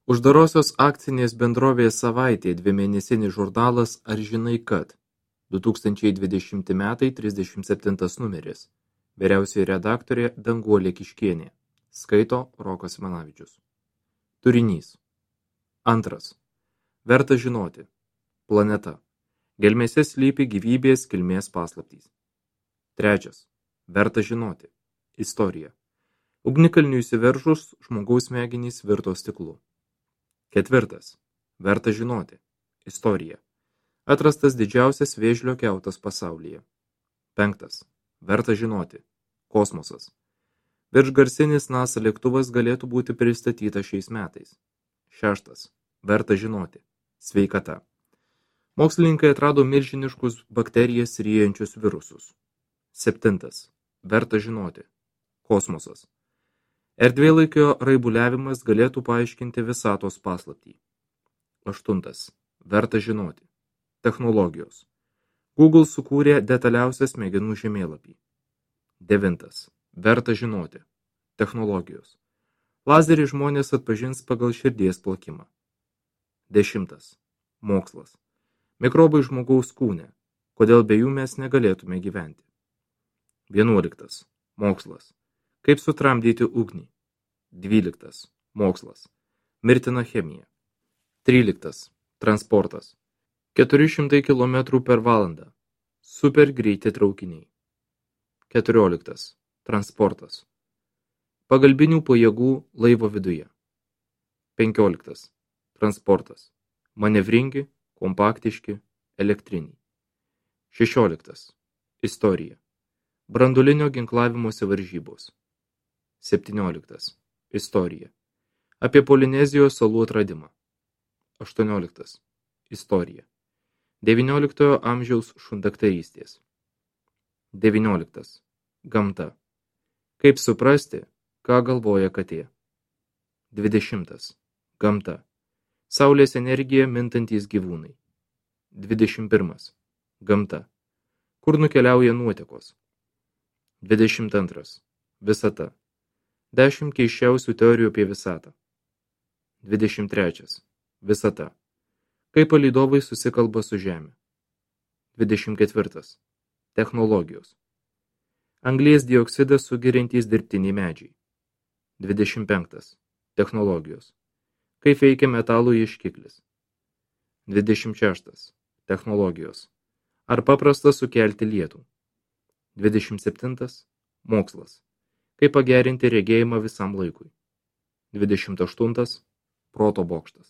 Uždarosios akcinės bendrovės Savaitė dvimėnesinis žurnalas Ar žinai kad? 2020 metai 37 numeris. Vyriausioji redaktorė Danguolė Kiškienė. Skaito Rokas Simanavičius. Turinys. 2. Verta žinoti. Planeta. Gelmėse slypi gyvybės kilmės paslaptys. 3. Verta žinoti. Istorija. Ugnikalniui įsiveržus, žmogaus smegenys virto stiklu. 4. Verta žinoti. Istorija. Atrastas didžiausias vėžlio kiautas pasaulyje. 5. Verta žinoti. Kosmosas. Viršgarsinis NASA lėktuvas galėtų būti pristatytas šiais metais. 6. Verta žinoti. Sveikata. Mokslininkai atrado milžiniškus bakterijas ryjančius virusus. 7. Verta žinoti. Kosmosas. Erdvėlaikio raibuliavimas galėtų paaiškinti visatos paslaptį. 8. Verta žinoti. Technologijos. Google sukūrė detaliausią smegenų žemėlapį. 9. Verta žinoti. Technologijos. Lazerį žmonės atpažins pagal širdies plakimą. 10. Mokslas. Mikrobai žmogaus kūne. Kodėl be jų mes negalėtume gyventi. 11. Mokslas. Kaip sutramdyti ugnį. 12. Mokslas. Mirtina chemija. 13. Transportas. 400 km per valandą. Super greiti traukiniai. 14. Transportas. Pagalbinių pajėgų laivo viduje. 15. Transportas. Manevringi, kompaktiški, elektriniai. 16. Istorija. Branduolinio ginklavimosi varžybos. 17. Istorija. Apie Polinezijos salų atradimą. 18. Istorija. 19 amžiaus šundaktarystės. 19. Gamta. Kaip suprasti, ką galvoja katė. 20. Gamta. Saulės energija mintantys gyvūnai. 21. Gamta. Kur nukeliauja nuotekos. 22. Visata. 10 keisčiausių teorijų apie visatą. 23. Visata. Kaip palydovai susikalba su Žemė. 24. Technologijos. Anglies dioksidą sugeriantys dirbtiniai medžiai. 25. Technologijos. Kaip veikia metalų ieškiklis. 26. Technologijos. Ar paprasta sukelti lietų. 27. Mokslas. Kaip pagerinti regėjimą visam laikui. 28. Proto bokštas.